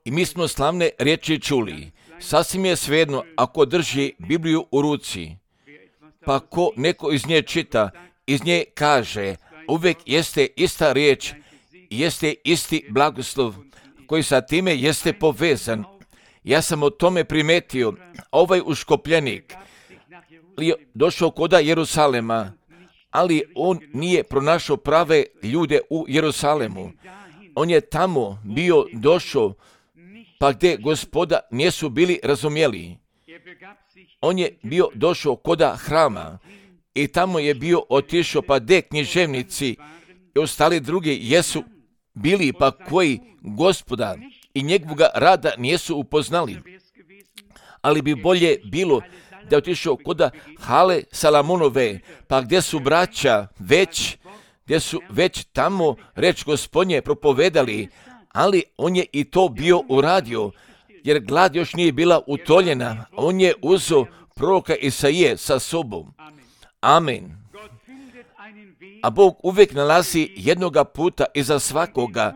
I mi smo slavne riječi čuli. Sasvim je svejedno ako drži Bibliju u ruci, pa ko neko iz nje čita, iz nje kaže, uvijek jeste ista riječ, jeste isti blagoslov koji sa time jeste povezan. Ja sam o tome primetio, ovaj uškopljenik je došao koda Jerusalema, ali on nije pronašao prave ljude u Jerusalemu. On je tamo bio došao, pa gdje Gospoda nisu bili razumjeli. On je bio došao koda hrama i tamo je bio otišao, pa gdje književnici i ostali drugi jesu bili, pa koji Gospoda i njegovoga rada nisu upoznali. Ali bi bolje bilo da je otišao koda hale Salamonove, pa gdje su braća već tamo reč Gospodnje propovedali, ali on je i to bio uradio, jer glad još nije bila utoljena. On je uzeo proroka Isaije sa sobom. Amen. A Bog uvijek nalazi jednoga puta iza svakoga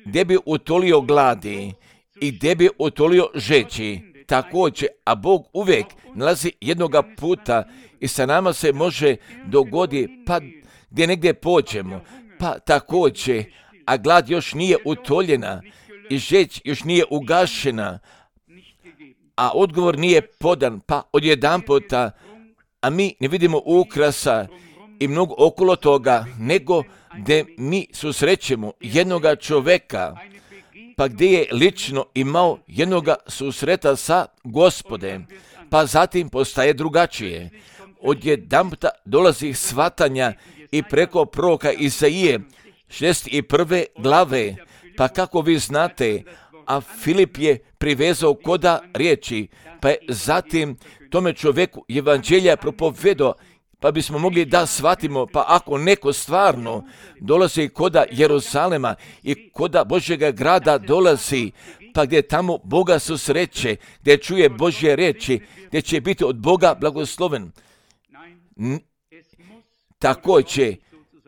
gdje bi utolio gladi i gdje bi utolio žeći. Također, a Bog uvijek nalazi jednoga puta i sa nama se može dogodi, pa gdje negdje pođemo, pa također, a glad još nije utoljena i žeć još nije ugašena, a odgovor nije podan, pa odjedanputa, a mi ne vidimo ukrasa i mnogo okolo toga, nego gdje mi susrećemo jednoga čoveka, pa gdje je lično imao jednoga susreta sa Gospodem, pa zatim postaje drugačije. Odjedanputa dolazi shvatanja i preko proroka Isaije 61. glave, pa kako vi znate, a Filip je privezao koda riječi, pa je zatim tome čovjeku evanđelja propovedao, pa bismo mogli da shvatimo, pa ako neko stvarno dolazi koda Jerusalema i koda Božjega grada dolazi, pa gdje tamo Boga susreće, gdje čuje Božje riječi, gdje će biti od Boga blagosloven. Također,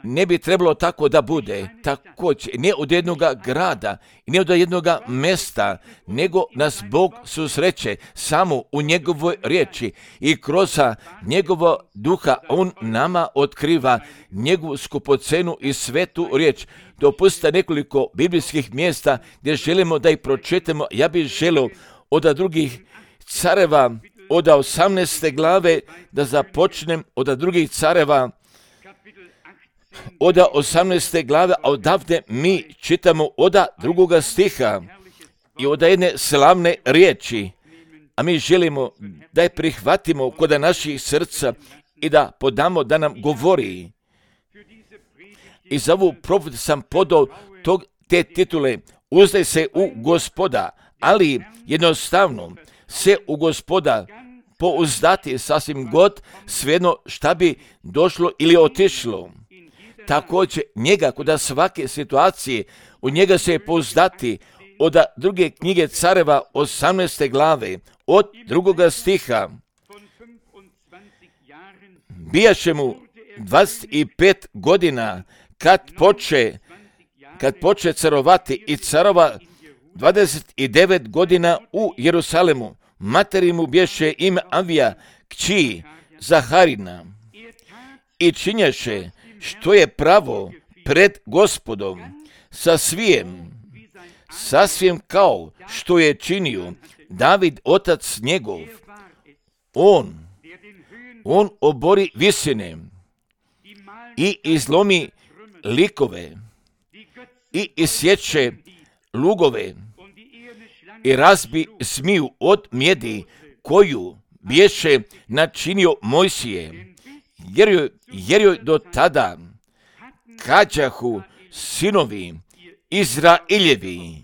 ne bi trebalo tako da bude, također, ne od jednoga grada, ne od jednoga mjesta, nego nas Bog susreće samo u njegovoj riječi i kroz njegovo duha on nama otkriva njegovu skupocenu i svetu riječ. Dopustite nekoliko biblijskih mjesta gdje želimo da ih pročitamo. Ja bih želio od drugih careva, od 18. glave da započnem, od drugih careva, od 18. glave, a odavde mi čitamo od 2. stiha i od jedne slavne riječi, a mi želimo da je prihvatimo kod naših srca i da podamo da nam govori. I za ovu propovijed sam podao te titule, uzdaj se u Gospoda, ali jednostavno se u Gospoda pouzdati sasvim god, svejedno šta bi došlo ili otišlo. Također njega kod svake situacije, u njega se pouzdati od 2. knjige careva 18. glave, od 2. stiha. Bijaše mu 25 godina kad poče carovati i carova 29 godina u Jerusalemu. Materi mu bješe ime Avija, kći Zaharina, i činjaše što je pravo pred Gospodom, sasvim kao što je činio David otac njegov. On obori visine i izlomi likove i isječe lugove i razbi zmiju od mjedi koju bješe načinio Mojsije, jer joj do tada kađahu sinovi Izraeljevi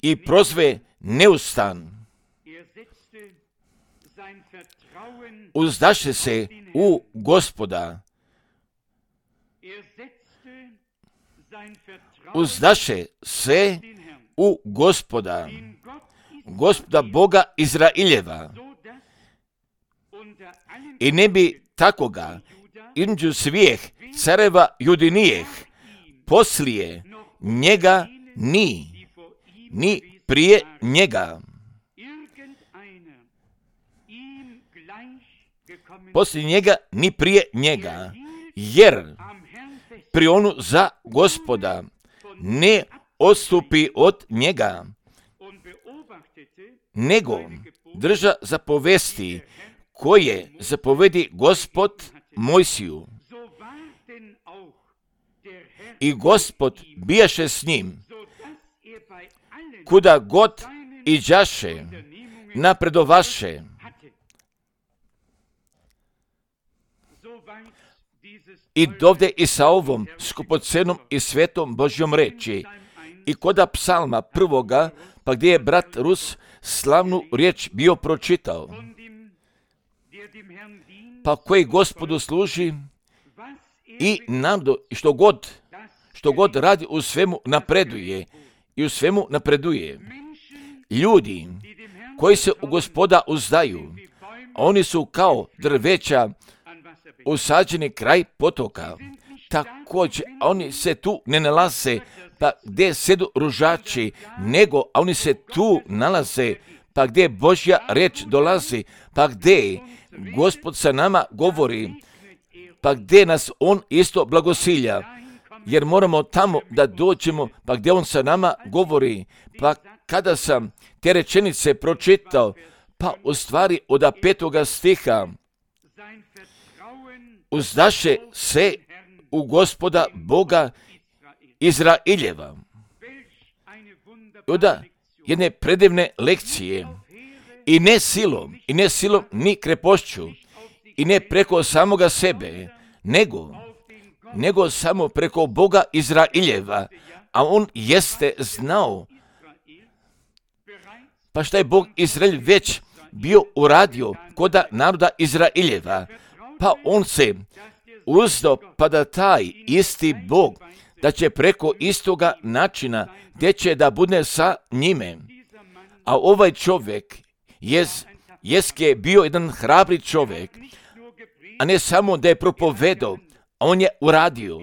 i prozve neustan. Uzdaše se u Gospoda. Uzdaše se u Gospoda, Gospoda Boga Izraeljeva. I ne bi takoga između svih careva Judinijeh poslije njega, ni prije njega. Poslije njega, ni prije njega. Jer pri onu za Gospoda ne odstupi od njega, nego drža zapovesti koje zapovedi Gospod Mojsiju. I Gospod bijaše s njim, kuda god iđaše, napredovaše. I dovde i sa ovom skupocenom i svetom Božjom reči. I koda psalma prvoga, pa gdje je brat Rus slavnu riječ bio pročitao, pa koji Gospodu služi i što god radi u svemu napreduje. Ljudi koji se u Gospoda uzdaju, oni su kao drveća usađeni kraj potoka. Također, oni se tu ne nalaze pa gdje sedu ružači, nego oni se tu nalaze pa gdje Božja riječ dolazi, pa gdje Gospod sa nama govori, pa gdje nas On isto blagosilja, jer moramo tamo da dođemo, pa gdje On sa nama govori. Pa kada sam te rečenice pročitao, pa u stvari od 5. stiha, uzdaše se u Gospoda Boga Izraeljeva. Od jedne predivne lekcije, i ne silom, ni krepošću, i ne preko samoga sebe, nego samo preko Boga Izraeljeva, a On jeste znao. Pa šta je Bog Izraelj već bio uradio koda naroda Izraeljeva? Pa On se uzdao pa da taj isti Bog, da će preko istoga načina gdje će da bude sa njime. A ovaj čovjek je bio jedan hrabri čovjek, a ne samo da je propovedao, on je uradio.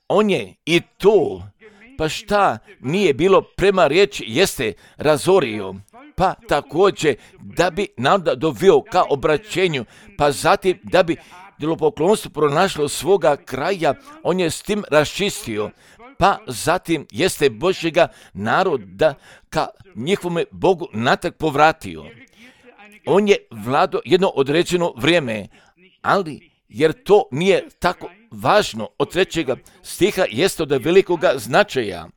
On je i to, pa šta nije bilo prema riječi, jeste razorio. Pa također da bi naroda doveo ka obraćenju, pa zatim da bi idolopoklonstvo pronašlo svoga kraja, on je s tim raščistio. Pa zatim jeste Božjega naroda ka njihovome Bogu natrag povratio. On je vladao jedno određeno vrijeme, ali jer to nije tako važno, od 3. stiha jeste od velikoga značaja.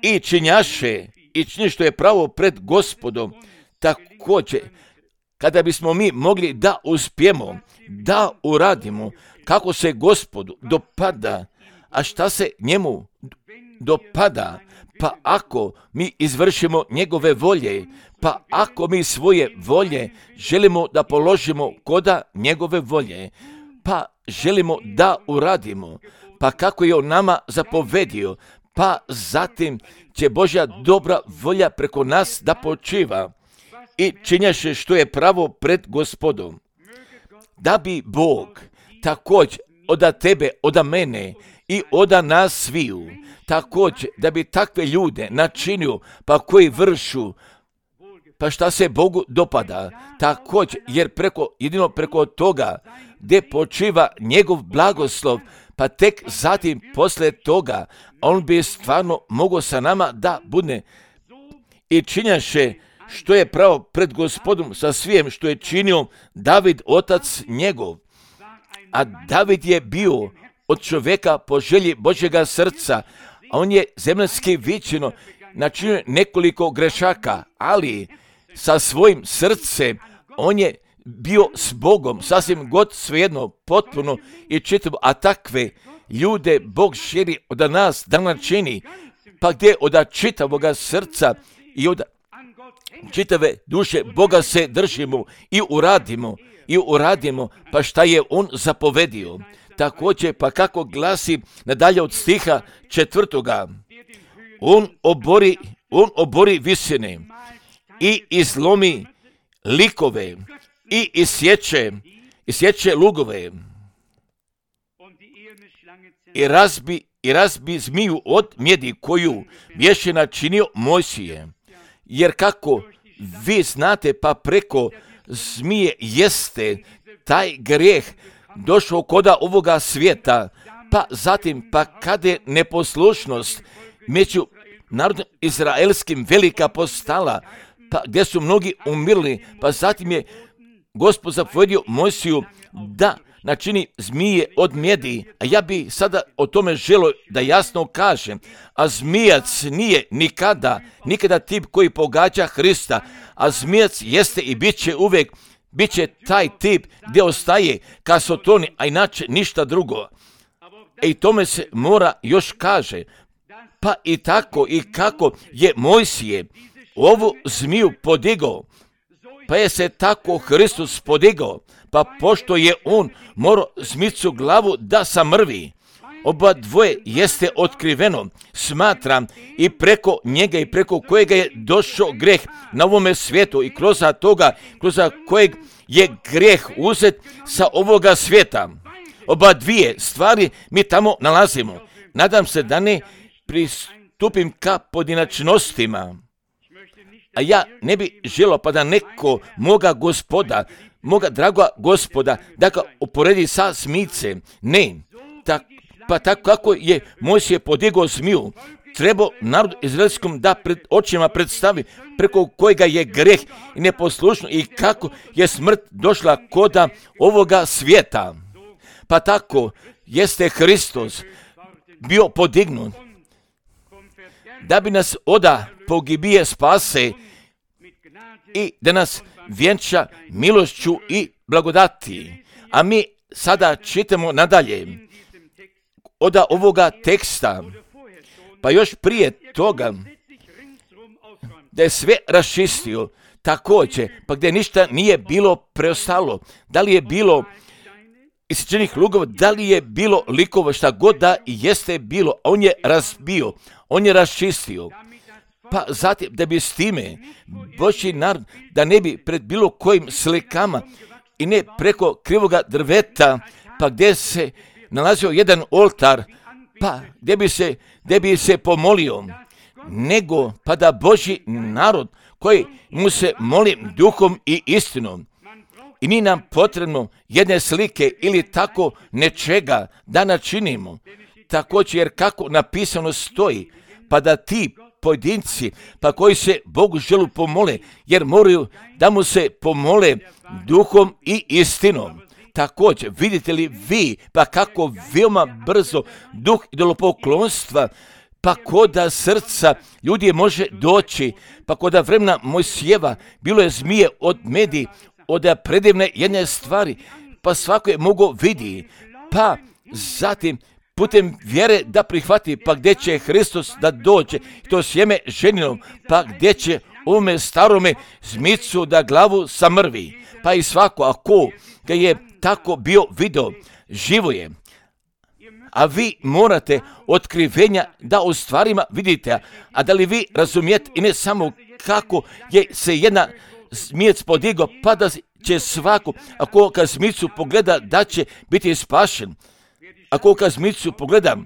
I činjaše, i čini što je pravo pred Gospodom. Također, kada bismo mi mogli da uspijemo, da uradimo kako se Gospodu dopada, a šta se njemu dopada, pa ako mi izvršimo njegove volje, pa ako mi svoje volje želimo da položimo koda njegove volje, pa želimo da uradimo, pa kako je on nama zapovedio, pa zatim će Božja dobra volja preko nas da počiva i činjaše što je pravo pred Gospodom. Da bi Bog također od tebe, od mene i od nas sviju, također da bi takve ljude načinio, pa koji vršu, pa šta se Bogu dopada, također jer jedino preko toga gdje počiva njegov blagoslov, pa tek zatim poslije toga on bi stvarno mogao sa nama da bude i činjaše što je pravo pred Gospodom sa svijem što je činio David, otac njegov. A David je bio od čovjeka po želji Božjega srca, a on je zemaljski viđeno načinio nekoliko grešaka, ali sa svojim srcem on je bio s Bogom, sasvim god svejedno, potpuno i čitavo, a takve ljude Bog želi od nas da načini, pa gdje od čitavoga srca i od čitave duše Boga se držimo i uradimo, pa šta je On zapovedio. Također, pa kako glasi nadalje od stiha 4. On obori visine i izlomi likove i isječe lugove. i razbi zmiju od mjedi koju je načinio Mojsije. Jer kako vi znate, pa preko zmije jeste taj grijeh došao koda ovoga svijeta, pa zatim, pa kada je neposlušnost među narodom izraelskim velika postala, pa gdje su mnogi umirli, pa zatim je Gospod zapovedio Mojsiju da načini zmije od mjedi, a ja bi sada o tome želio da jasno kažem, a zmijac nije nikada tip koji pogađa Hrista, a zmijac jeste i bit će taj tip gdje ostaje kasotoni, a inače ništa drugo. I tome se mora još kaže, pa i tako i kako je Mojsije ovu zmiju podigao, pa je se tako Hristos podigao, pa pošto je on morao zmicu glavu da samrvi, oba dvoje jeste otkriveno, smatram, i preko njega i preko kojega je došao greh na ovome svijetu i kroz kojeg je greh uzet sa ovoga svijeta. Oba dvije stvari mi tamo nalazimo. Nadam se da ne pristupim ka pojedinačnostima, a ja ne bi želio pa da neko moga dragoga Gospoda, da ga uporedi sa zmijcem. Ne, pa tako kako je Mojsije podigao zmiju, treba narod izraelskom da pred očima predstavi preko kojega je greh i neposlušno i kako je smrt došla koda ovoga svijeta. Pa tako jeste Hristos bio podignut da bi nas oda pogibije spase i da nas vjenča milošću i blagodati. A mi sada čitamo nadalje od ovoga teksta, pa još prije toga da je sve raščistio također, pa gdje ništa nije bilo preostalo. Da li je bilo isječenih lugova, da li je bilo likova, šta god da jeste bilo, on je razbio, on je raščistio. Pa zatim da bi s time Božji narod da ne bi pred bilo kojim slikama i ne preko krivoga drveta, pa gdje se nalazio jedan oltar, pa gdje bi se pomolio, nego pa da Božji narod koji mu se moli duhom i istinom. I nije nam potrebno jedne slike ili tako nečega da načinimo. Također, jer kako napisano stoji, pa da ti pojedinci, pa koji se Bogu želu pomole, jer moraju da mu se pomole duhom i istinom. Također, vidite li vi, pa kako veoma brzo duh idolopoklonstva, pa koda srca ljudi može doći, pa koda vremena Mojsijeva bilo je zmije od medi, od predivne jedne stvari, pa svako je mogao vidi, pa zatim putem vjere da prihvati, pa gdje će Hristos da dođe, to sjeme ženinom, pa gdje će ovome starome zmicu da glavu samrvi, pa i svako, ako ga je tako bio video, živo je. A vi morate otkrivenja da u stvarima vidite, a da li vi razumijete i ne samo kako je se jedna zmijec podigao, pa da će svako, ako ga zmicu pogleda, da će biti spašen. Ako ga zmicu pogleda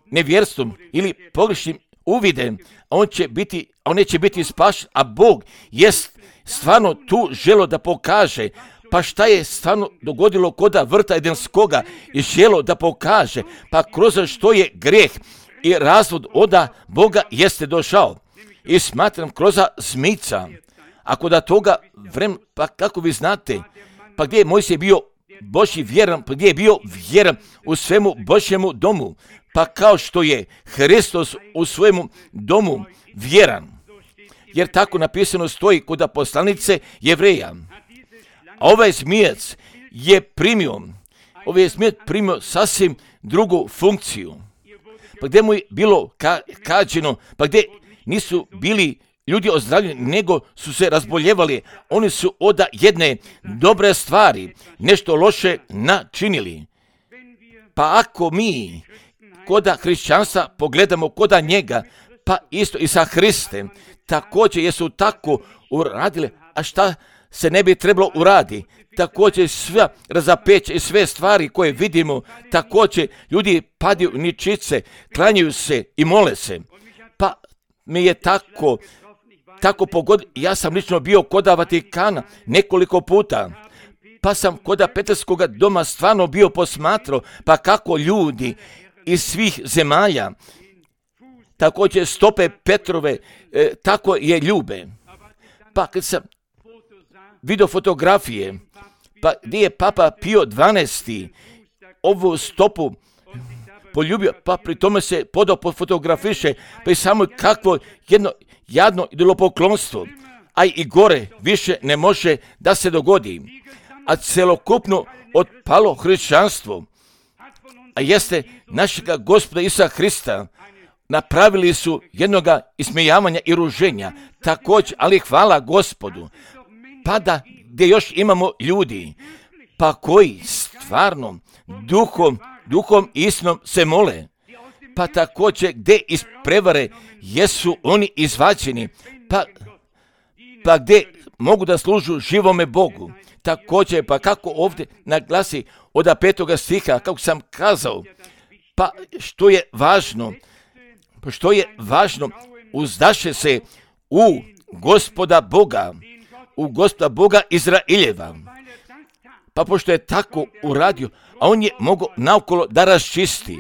nevjerstvom ili pogrešnim uvidem, on neće biti spašen, a Bog jest stvarno tu želo da pokaže, pa šta je stvarno dogodilo koda vrta Edenskoga i želo da pokaže, pa kroz što je grijeh i razvod oda Boga jeste došao. I smatram kroz zmica, ako da toga vremena, pa kako vi znate, pa gdje je Mojsije bio Božji vjeran, pa gdje je bio vjeran u svemu Božjemu domu, pa kao što je Hristos u svojemu domu vjeran. Jer tako napisano stoji kod poslanice Jevreja. A ovaj zmijec je primio sasvim drugu funkciju. Pa gdje mu je bilo kaženo, pa gdje nisu bili ljudi ozdravljeni, nego su se razboljevali. Oni su od jedne dobre stvari nešto loše načinili. Pa ako mi koda hrišćanstva pogledamo koda njega, pa isto i sa Hristem, također jesu tako uradili, a šta se ne bi trebalo uradi. Također sve razapeće i sve stvari koje vidimo, također ljudi padaju ničice, klanjaju se i mole se. Pa mi je tako pogodilo. Ja sam lično bio kod Vatikana nekoliko puta. Pa sam kod Petarskog doma stvarno bio posmatrao, pa kako ljudi iz svih zemalja, također stope Petrove, tako je ljube. Pa kad sam vidio fotografije, pa gdje je Papa Pio XII ovu stopu poljubio, pa pri tome se podao fotografiše, pa i samo kakvo jedno jadno idolopoklonstvo, a i gore više ne može da se dogodi. A celokupno otpalo hrišćanstvo, a jeste našega Gospoda Isusa Hrista, napravili su jednoga ismijavanja i ruženja, također, ali hvala Gospodu, pa da gdje još imamo ljudi, pa koji stvarno duhom i istinom se mole, pa također gdje iz prevare jesu oni izvađeni, pa gdje mogu da služu živome Bogu. Također, pa kako ovdje naglasi od 5. stiha, kako sam kazao, pa što je važno, uzdaše se u Gospoda Boga Izraeljeva. Pa pošto je tako uradio, a on je mogao naokolo da raščisti,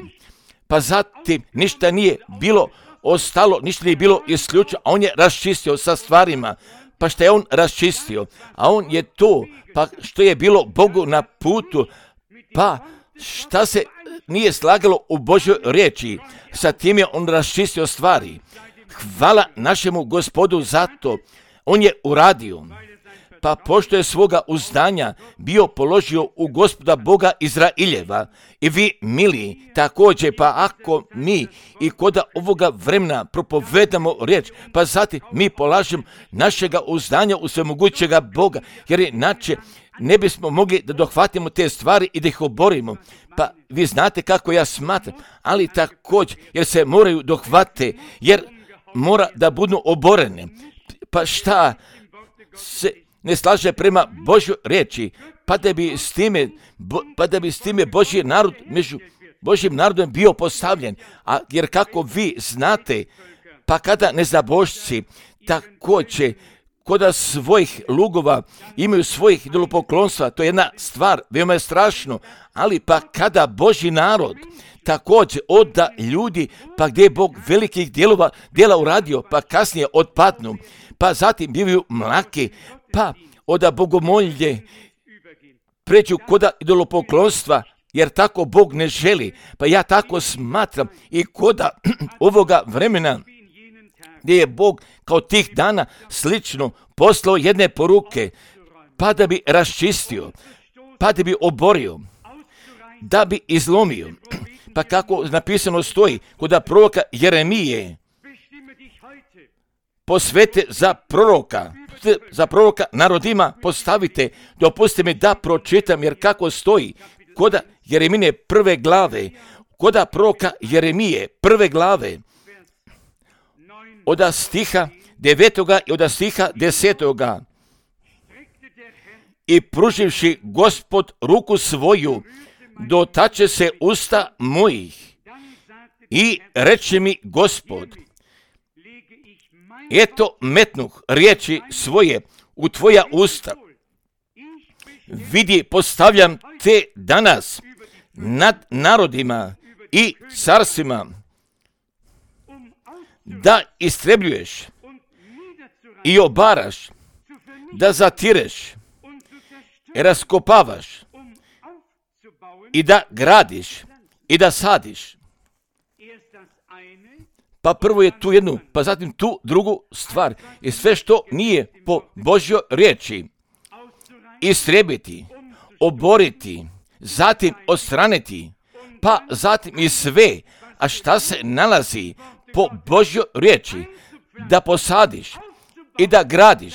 pa zatim ništa nije bilo ostalo, ništa nije bilo isključeno, a on je raščistio sa stvarima. Pa što je on raščistio, a on je to, pa što je bilo Bogu na putu, pa šta se nije slagalo u Božjoj riječi, sa tim je on raščistio stvari. Hvala našemu Gospodu za to, on je uradio. Pa pošto je svoga uzdanja bio položio u Gospoda Boga Izraeljeva, i vi, mili, također, pa ako mi i kod ovoga vremena propovedamo riječ, pa zatim mi polažemo našega uzdanja u svemogućega Boga, jer inače ne bismo mogli da dohvatimo te stvari i da ih oborimo. Pa vi znate kako ja smatram, ali također, jer se moraju dohvate, jer mora da budu oborene. Pa šta se ne slaže prema Božjoj riječi, pa da bi s time Božji narod među Božjim narodom bio postavljen. Jer kako vi znate, pa kada nezabožci također kod svojih lugova imaju svojih idolopoklonstva, to je jedna stvar, veoma je strašno, ali pa kada Božji narod također oda ljudi, pa gdje je Bog velikih djela uradio, pa kasnije otpadnu, pa zatim bivaju mlaki, pa oda bogomolje pređu koda idolopoklonstva, jer tako Bog ne želi. Pa ja tako smatram i koda ovoga vremena gdje je Bog kao tih dana slično poslao jedne poruke, pa da bi raščistio, pa da bi oborio, da bi izlomio. Pa kako napisano stoji kod proroka Jeremije, posvete za proroka narodima postavite, dopustite mi da pročitam, jer kako stoji kod Jeremine 1. glave, kod proroka Jeremije 1. glave, od stiha 9. i od stiha 10. I pruživši Gospod ruku svoju, dotače se usta mojih i reče mi Gospod, eto metnuh riječi svoje u tvoja usta. Vidi, postavljam te danas nad narodima i carstvima, da istrebljuješ i obaraš, da zatireš, raskopavaš i da gradiš i da sadiš. Pa prvo je tu jednu, pa zatim tu drugu stvar. I sve što nije po Božjoj riječi, istrebiti, oboriti, zatim odstraniti, pa zatim i sve, a šta se nalazi po Božjoj riječi, da posadiš i da gradiš,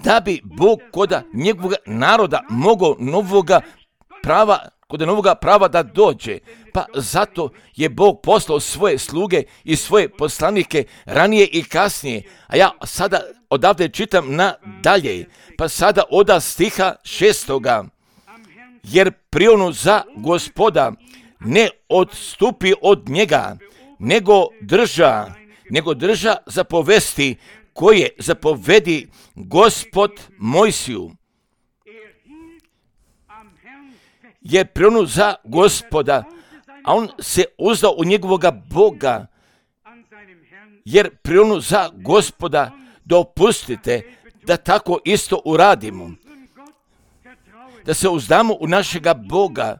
da bi Bog kod njegovog naroda mogao novoga prava kod novoga prava da dođe. Pa zato je Bog poslao svoje sluge i svoje poslanike ranije i kasnije. A ja sada odavde čitam nadalje. Pa sada od stiha 6. Jer prionu za Gospoda ne odstupi od njega, nego drža zapovesti koje zapovedi Gospod Mojsiju. Jer prionu za Gospoda, a on se uzdao u njegovoga Boga. Jer prionu za Gospoda, dopustite da tako isto uradimo. Da se uzdamo u našega Boga,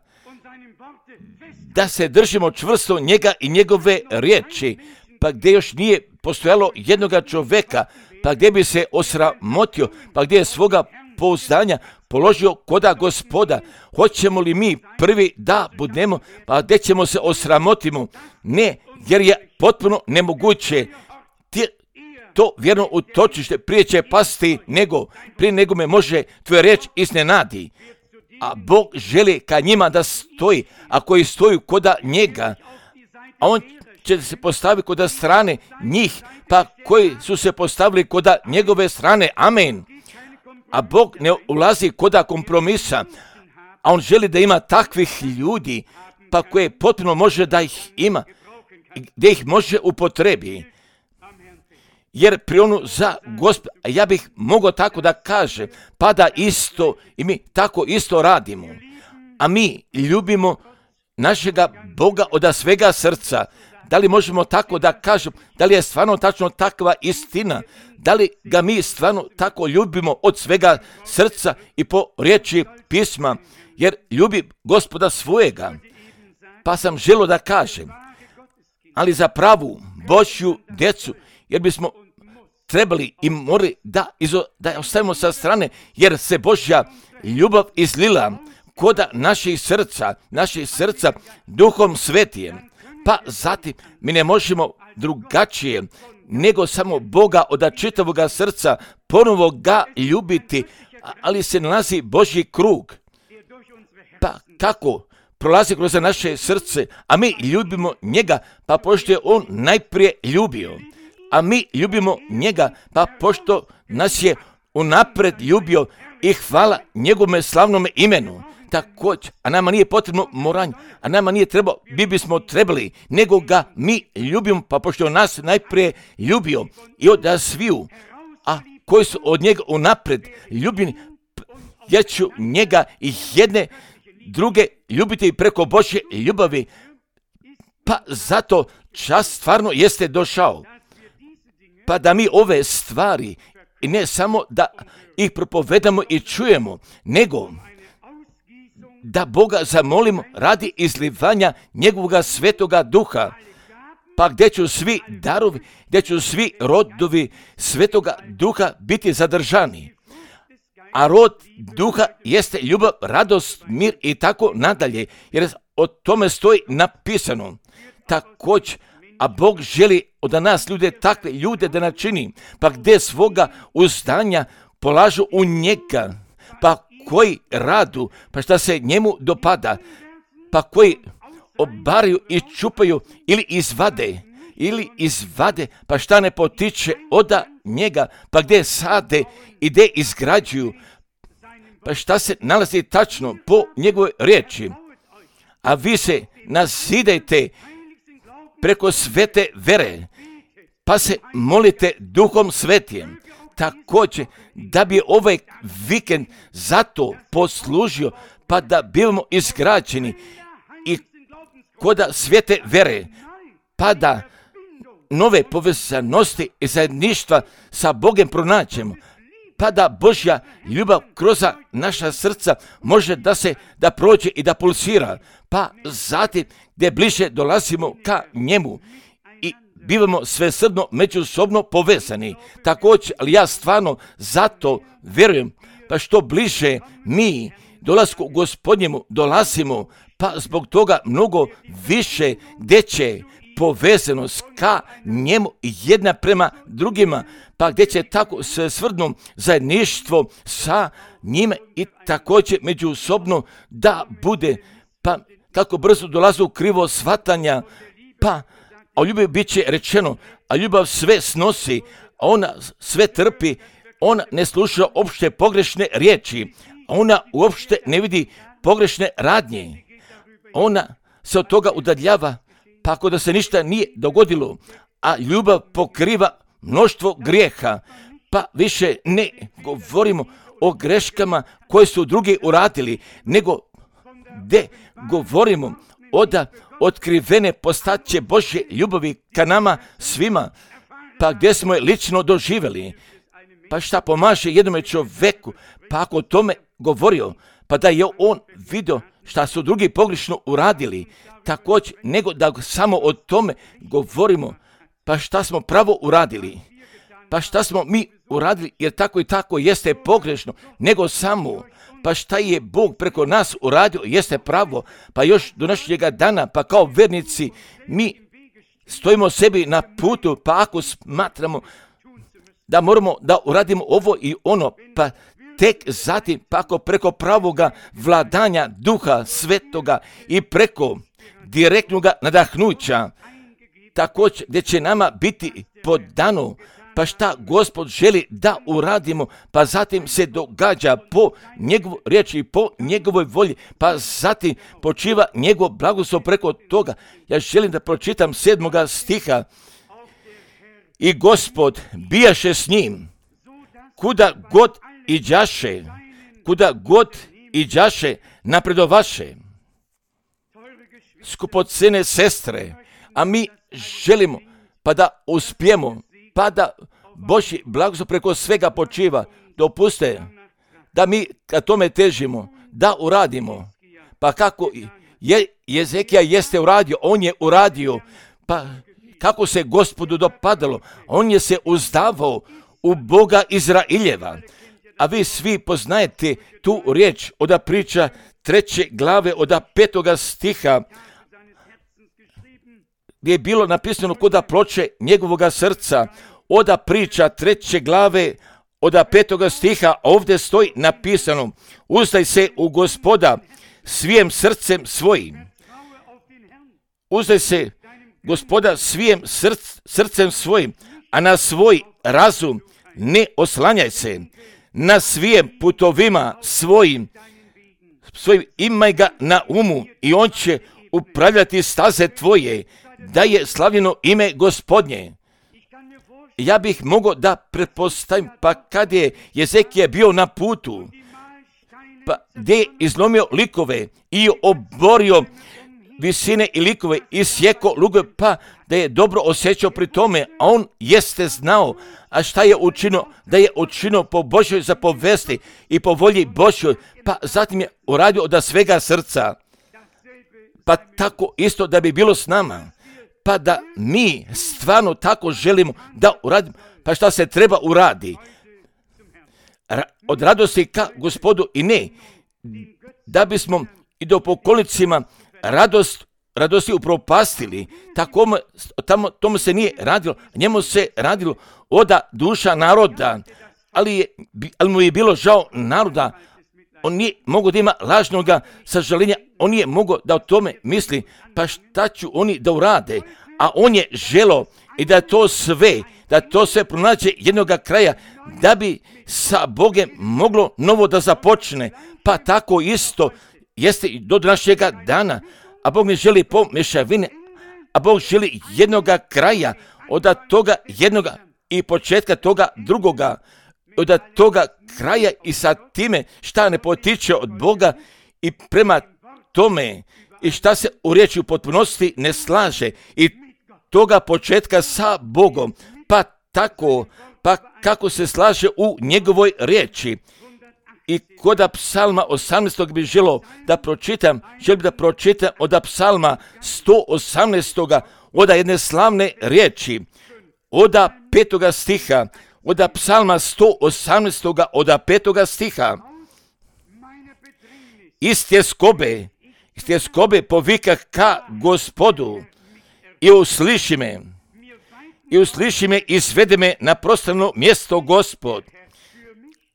da se držimo čvrsto njega i njegove riječi, pa gdje još nije postojalo jednoga čovjeka, pa gdje bi se osramotio, pa gdje je svoga pouzdanja položio koda Gospoda. Hoćemo li mi prvi da budemo, pa gdje ćemo se osramotimo? Ne, jer je potpuno nemoguće. To vjerno utočište prije će pasti prije nego me može tvoja riječ iznenadi. A Bog želi ka njima da stoji, a koji stoju koda njega, a on će se postaviti koda strane njih, pa koji su se postavili koda njegove strane. Amen. A Bog ne ulazi koda kompromisa, a on želi da ima takvih ljudi, pa koje potpuno može da ih ima, gdje ih može upotrebi. Jer prionu za Gospoda, a ja bih mogao tako da kažem, pa da isto i mi tako isto radimo. A mi ljubimo našega Boga od svega srca. Da li možemo tako da kažemo, da li je stvarno tačno takva istina? Da li ga mi stvarno tako ljubimo od svega srca i po riječi pisma? Jer ljubi Gospoda svojega. Pa sam želio da kažem, ali za pravu Božju djecu, jer bismo trebali i morali da ostavimo sa strane, jer se Božja ljubav izlila koda naših srca Duhom Svetijem. Pa zatim mi ne možemo drugačije nego samo Boga od čitavoga srca ponovo ga ljubiti, ali se nalazi Božji krug. Pa kako prolazi kroz naše srce, a mi ljubimo njega, pa pošto je on najprije ljubio. A mi ljubimo njega, pa pošto nas je unapred ljubio i hvala njegovome slavnome imenu. Također, a nama nije potrebno moranje, a nama nije trebalo, bismo trebali, nego ga mi ljubimo, pa pošto nas najprije ljubio i od sviju, a koji su od njega unapred ljubljeni, ja ću njega i jedne druge ljubiti preko Božje ljubavi, pa zato čas stvarno jeste došao. Pa da mi ove stvari, i ne samo da ih propovedamo i čujemo, nego da Boga zamolimo radi izlivanja njegovoga svetoga duha, pa gdje ću svi darovi, gdje ću svi rodovi svetoga duha biti zadržani. A rod duha jeste ljubav, radost, mir i tako nadalje, jer o tome stoji napisano. Također, a Bog želi od nas takve ljude da načini, pa gdje svoga uzdanja polažu u njega, pa koji radu, pa šta se njemu dopada, pa koji obaraju i čupaju ili izvade, pa šta ne potiče od njega, pa gdje sade i gdje izgrađuju, pa šta se nalazi tačno po njegovoj riječi. A vi se nazidajte preko svete vere, pa se molite Duhom Svetijem. Također, da bi ovaj vikend zato poslužio, pa da bivamo izgrađeni i koda svete vere, pa da nove povezanosti i zajedništva sa Bogom pronađemo, pa da Božja ljubav kroz naša srca može da prođe i da pulsira, pa zatim gdje bliže dolazimo ka njemu i bivamo svesrdno međusobno povezani. Također, ali ja stvarno zato vjerujem, pa što bliže mi dolasku Gospodnjemu dolazimo, pa zbog toga mnogo više gdje će povezanost ka njemu jedna prema drugima, pa gdje će tako svesrdno zajedništvo sa njime i također međusobno da bude, pa kako brzo dolazu krivo shvatanja, pa o ljubavi bit će rečeno, a ljubav sve snosi, a ona sve trpi, ona ne sluša opšte pogrešne riječi, a ona uopšte ne vidi pogrešne radnje. Ona se od toga udaljava, pa ako da se ništa nije dogodilo, a ljubav pokriva mnoštvo grijeha, pa više ne govorimo o greškama koje su drugi uradili, nego gde govorimo od otkrivene postaće Božje ljubavi ka nama svima, pa gdje smo je lično doživjeli. Pa šta pomaže jednome čoveku, pa ako o tome govorio, pa da je on vidio šta su drugi pogrešno uradili, također nego da samo o tome govorimo, pa šta smo pravo uradili, pa šta smo mi uradili, jer tako i tako jeste pogrešno, nego samo, pa šta je Bog preko nas uradio, jeste pravo, pa još do našega dana, pa kao vernici, mi stojimo sebi na putu, pa ako smatramo da moramo da uradimo ovo i ono, pa tek zatim, pa ako preko pravoga vladanja Duha Svetoga i preko direktnoga nadahnuća, također gdje će nama biti podano, pa šta Gospod želi da uradimo, pa zatim se događa po njegovoj riječi, po njegovoj volji, pa zatim počiva njegov blagoslov preko toga. Ja želim da pročitam 7. stiha. I Gospod bijaše s njim, kuda god iđaše, napredovaše. Skupocene sestre, a mi želimo pa da uspijemo, pa da Božji blagoslov preko svega počiva. Dopuste da mi ka tome težimo, da uradimo. Pa kako Jezekija jeste uradio, on je uradio, pa kako se Gospodu dopadalo, on je se uzdavao u Boga Izraeljeva. A vi svi poznajete tu riječ od priča 3. glave od 5. stiha, gdje je bilo napisano koda ploče njegovoga srca. Od priča 3. glave od 5. stiha ovdje stoji napisano: uzdaj se u Gospoda svijim srcem svojim. Uzdaj se Gospoda svijim srcem svojim, a na svoj razum ne oslanjaj se. Na svijim putovima svojim imaj ga na umu i on će upravljati staze tvoje, da je slavljeno ime Gospodnje. Ja bih mogao da pretpostavim, pa kad je Jezekija bio na putu, pa gdje je izlomio likove i oborio visine i likove i sjeko lugove, pa da je dobro osjećao pri tome, a on jeste znao, a šta je učinio, da je učinio po Božjoj zapovesti i po volji Božjoj, pa zatim je uradio od svega srca. Pa tako isto da bi bilo s nama, pa da mi stvarno tako želimo da uradimo, pa šta se treba uradi? Od radosti ka Gospodu i ne, da bismo i do pokolicima radosti upropastili, tomu se nije radilo, njemu se radilo od duša naroda, ali mu je bilo žao naroda, on nije mogao da ima lažnoga sažaljenja, on nije mogao da o tome misli, pa šta ću oni da urade, a on je želo i da to sve pronađe jednoga kraja, da bi sa Bogem moglo novo da započne, pa tako isto jeste i do našega dana, a Bog ne želi pomešavine, a Bog želi jednoga kraja, od toga jednoga i početka toga drugoga, od toga kraja i sa time šta ne potiče od Boga i prema tome i šta se u riječi u potpunosti ne slaže i toga početka sa Bogom, pa tako, pa kako se slaže u njegovoj riječi. I kod psalma 18. bi želim da pročitam od psalma 118. od jedne slavne riječi, od 5. stiha, od psalma 118. od 5. stiha. Iz tjeskobe povikah ka Gospodu i usliši me i svede me na prostrano mjesto Gospod.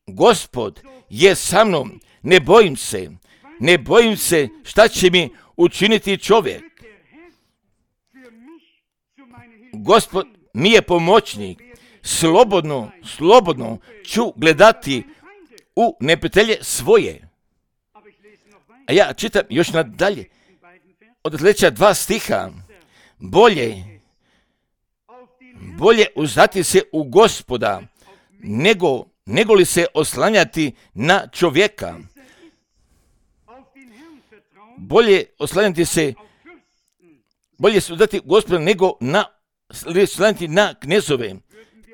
Gospod je sa mnom, ne bojim se, ne bojim se šta će mi učiniti čovjek. Gospod mi je pomoćnik. Slobodno ću gledati u neprijatelje svoje. A ja čitam još nadalje. Od sljedeća 2 stiha. Bolje uzdati se u Gospoda, nego li se oslanjati na čovjeka. Bolje se uzdati Gospoda nego oslanjati na knezove.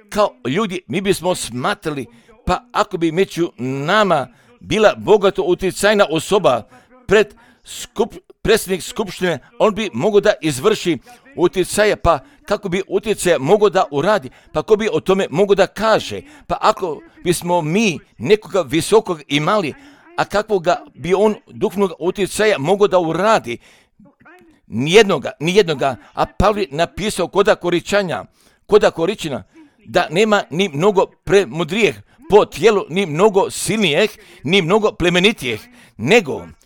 Kao ljudi mi bismo smatrali, pa ako bi među nama bila bogato utjecajna osoba predsjednik skupštine, on bi mogao da izvrši utjecaje, pa kako bi utjecaje mogao da uradi, pa ko bi o tome mogao da kaže, pa ako bismo mi nekoga visokog imali, a kakvoga bi on duhovnog utjecaja mogao da uradi, nijednoga, a Pavle je napisao koda Koričina, da nema ni mnogo premudrijeh po tijelu, ni mnogo silnijeh, ni mnogo plemenitijeh,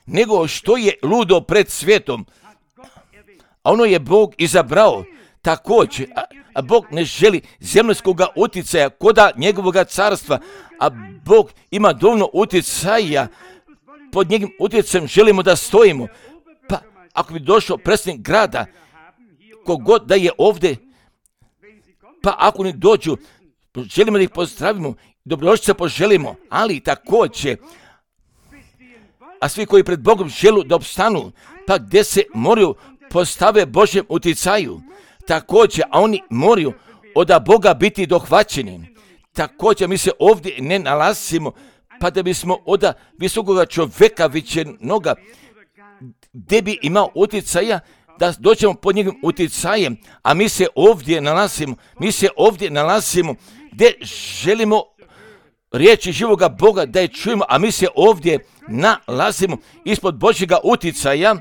nego što je ludo pred svijetom. A ono je Bog izabrao također, a Bog ne želi zemaljskoga utjecaja koda njegovoga carstva, a Bog ima dovoljno utjecaja, pod njegovim utjecajem želimo da stojimo. Pa ako bi došao predsjednik grada, kogod da je ovdje, pa ako ne dođu, želimo da ih pozdravimo, dobrodošlice poželimo, ali također, a svi koji pred Bogom žele da opstanu, pa gdje se moraju postave Božjem utjecaju, također, a oni moraju od Boga biti dohvaćeni. Također mi se ovdje ne nalazimo, pa da bismo od visokoga čovjeka vičenoga, gdje bi imao utjecaja, da dođemo pod njegovim utjecajem, a mi se ovdje nalazimo gdje želimo riječi živoga Boga da je čujemo, a mi se ovdje nalazimo ispod Božjega utjecaja,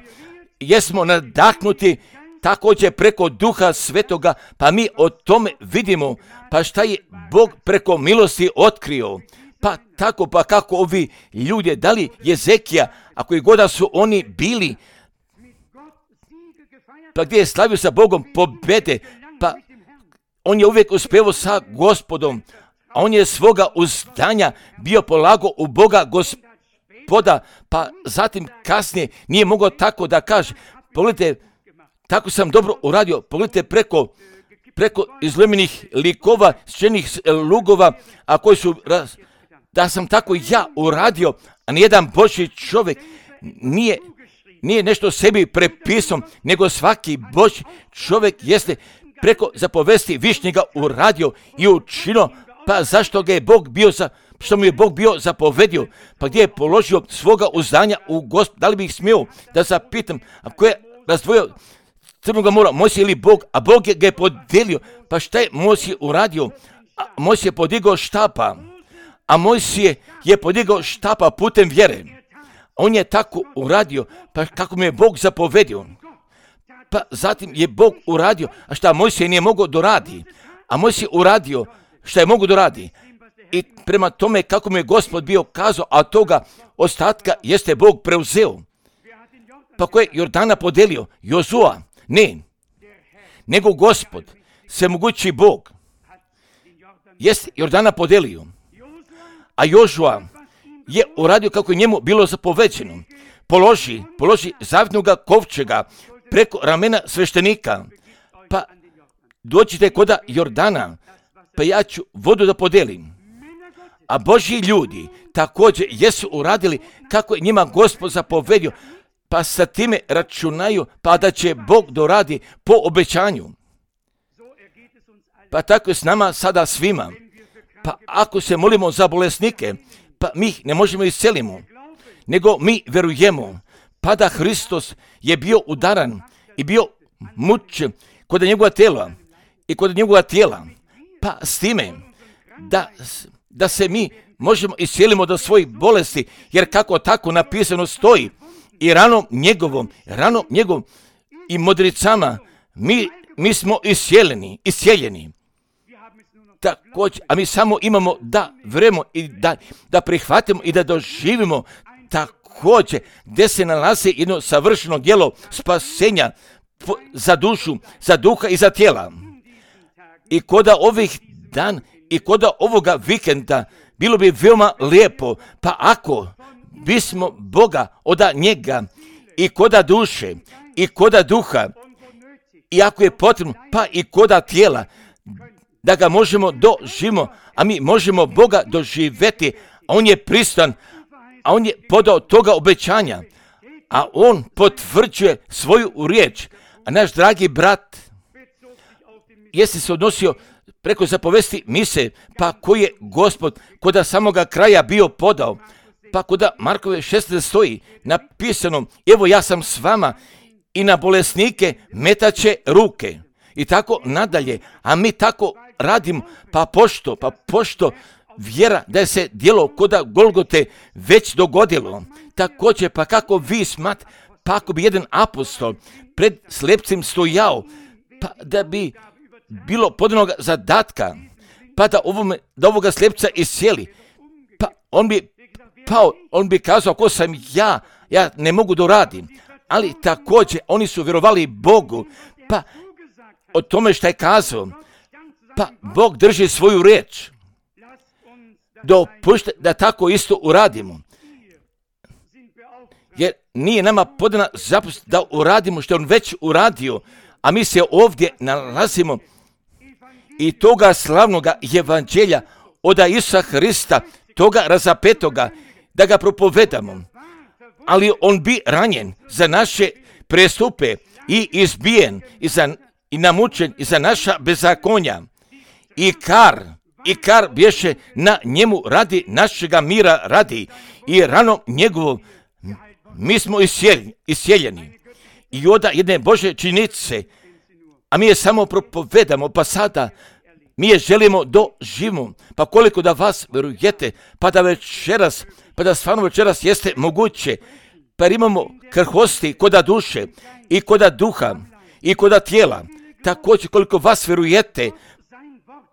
jesmo nadahnuti također preko Duha Svetoga, pa mi o tome vidimo, pa šta je Bog preko milosti otkrio. Pa tako, pa kako ovi ljudi, da li Jezekija, a koji god da su oni bili, pa gdje je slavio sa Bogom pobjede, pa on je uvijek uspjevao sa Gospodom, a on je svoga uzdanja bio polago u Boga Gospoda, pa zatim kasnije nije mogao tako da kaže, pogledajte, tako sam dobro uradio, pogledajte preko izlomenih likova, sčenih lugova, a koji su, da sam tako ja uradio, a nijedan Božji čovjek nije nešto sebi prepisao, nego svaki Božji čovjek jeste preko zapovesti višnjega uradio i učinio, pa zašto ga je Bog bio što mu je Bog bio zapovedio, pa gdje je položio svoga uzdanja u Gospod. Da li bih smio da zapitam, a ko je razdvojio Crnoga mora, Mojsije ili Bog, a Bog ga je podijelio, pa šta je Mojsije uradio? Mojsije je podigao štapa, a Mojsije je podigao štapa putem vjere. On je tako uradio, pa kako mu je Bog zapovedio. Pa zatim je Bog uradio, a šta Mojsije nije mogao doradi, a Mojsije uradio šta je mogao doradi. I prema tome kako mu je Gospod bio kazao, a toga ostatka jeste Bog preuzeo. Pa ko je Jordana podelio? Jozua? Ne, nego Gospod, svemogući Bog, jest Jordana podelio, a Jožua je uradio kako je njemu bilo zapoveđeno. Položi zavjetnoga kovčega preko ramena sveštenika, pa dođite koda Jordana, pa ja ću vodu da podelim. A Božji ljudi također jesu uradili kako je njima Gospod zapovedio, pa sa time računaju, pa da će Bog doradi po obećanju. Pa tako je s nama sada svima. Pa ako se molimo za bolesnike, pa mi ih ne možemo iscelimo, nego mi verujemo, pa da Hristos je bio udaran i bio mučen kod njegova tijela, pa s time da se mi možemo iscelimo do svojih bolesti, jer kako tako napisano stoji, i ranom njegovom i modricama mi smo iscijeljeni. Također, a mi samo imamo da verujemo i da prihvatimo i da doživimo također gdje se nalazi jedno savršeno djelo spasenja za dušu, za duha i za tijela. I koda ovih dan i koda ovoga vikenda bilo bi veoma lijepo, pa ako bismo Boga od njega i koda duše i koda duha i ako je potrebno, pa i koda tijela, da ga možemo doživimo, a mi možemo Boga doživjeti, a on je pristan, a on je podao toga obećanja, a on potvrđuje svoju riječ. A naš dragi brat jeste se odnosio preko zapovesti mise, pa koji je Gospod koda samoga kraja bio podao, pa koda Markove 16 stoji napisano, evo ja sam s vama i na bolesnike metaće ruke. I tako nadalje, a mi tako radimo, pa pošto vjera da je se djelo koda Golgote već dogodilo. Također, pa kako vi smat, pa ako bi jedan apostol pred slepcem stojao, pa da bi bilo podanog zadatka, pa da ovoga slepca iscijeli, pa on bi kazao, ako sam ja ne mogu doradim. Ali također, oni su vjerovali Bogu, pa o tome što je kazao, pa Bog drži svoju riječ. Dopušte da tako isto uradimo. Jer nije nama podana zapovest da uradimo što je on već uradio, a mi se ovdje nalazimo i toga slavnoga evanđelja od Isusa Hrista, toga razapetoga, da ga propovedamo. Ali on bi ranjen za naše prestupe i izbijen i namučen i za naša bezakonja. I kar bješe na njemu radi našega mira radi i rano njegovo mi smo isjeljeni. I oda jedne Bože činjenice, a mi je samo propovedamo, pa sada mi je želimo doživimo, pa koliko da vas vjerujete, pa da stvarno večeras jeste moguće, pa imamo krhosti koda duše i koda duha i koda tijela, također koliko vas vjerujete,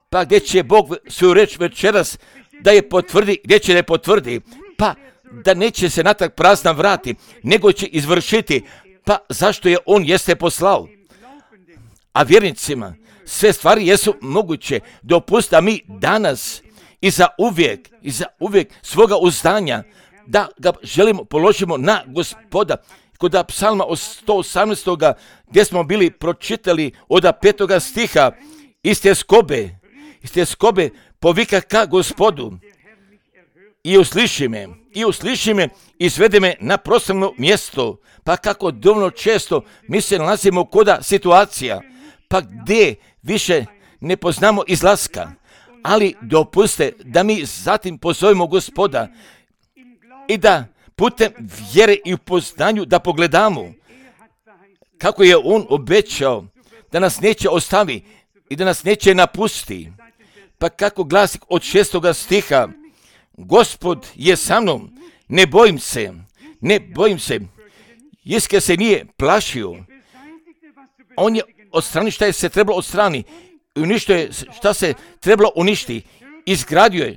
pa gdje će Bog svoju reč večeras da je potvrdi, gdje će da je potvrdi, pa da neće se natrag prazna vrati, nego će izvršiti, pa zašto je on jeste poslao. A vjernicima sve stvari jesu moguće, dopusta mi danas i za uvijek svoga uzdanja, da ga želimo položimo na Gospoda. Kod psalma od 118. gdje smo bili pročitali od 5. stiha, iste skobe povika ka Gospodu i usliši me i svede me na proslavno mjesto. Pa kako dovoljno često mi se nalazimo koda situacija, pa gdje više ne poznamo izlaska, ali dopuste da mi zatim pozovemo Gospoda i da putem vjere i upoznanju da pogledamo kako je on obećao da nas neće ostavi i da nas neće napusti. Pa kako glasi od 6. stiha, Gospod je sa mnom, ne bojim se. Iske se nije plašio. On je odstranio šta je se trebalo odstrani. Uništio je šta se trebalo uništi. Izgradio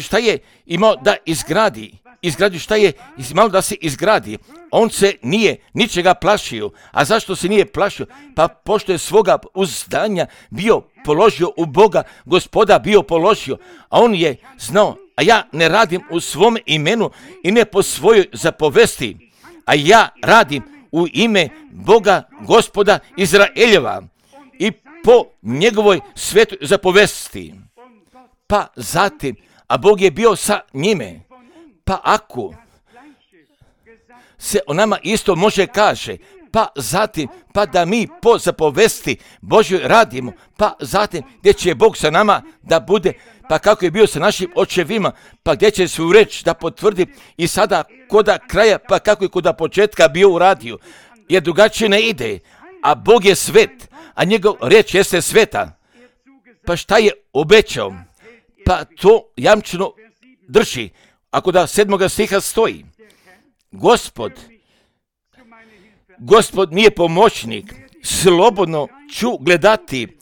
šta je imao da izgradi. Izgradio šta je imao da se izgradi. On se nije ničega plašio. A zašto se nije plašio? Pa pošto je svoga uzdanja bio položio u Boga, Gospoda bio položio. A on je znao, a ja ne radim u svom imenu i ne po svojoj zapovesti. A ja radim u ime Boga, Gospoda Izraeljeva i po njegovoj svetoj zapovesti. Pa zatim, a Bog je bio sa njime. Pa ako se o nama isto može kaže, pa zatim, pa da mi po zapovesti Božjoj radimo, pa zatim gdje će Bog sa nama da bude, pa kako je bio sa našim očevima, pa gdje će svoju reč da potvrdi i sada koda kraja, pa kako je koda početka bio uradio, jer drugačije ne ide, a Bog je svet, a njegov reč jeste sveta. Pa šta je obećao? Pa to jamčeno drži. Ako da 7. stiha stoji, Gospod nije pomoćnik, slobodno ću gledati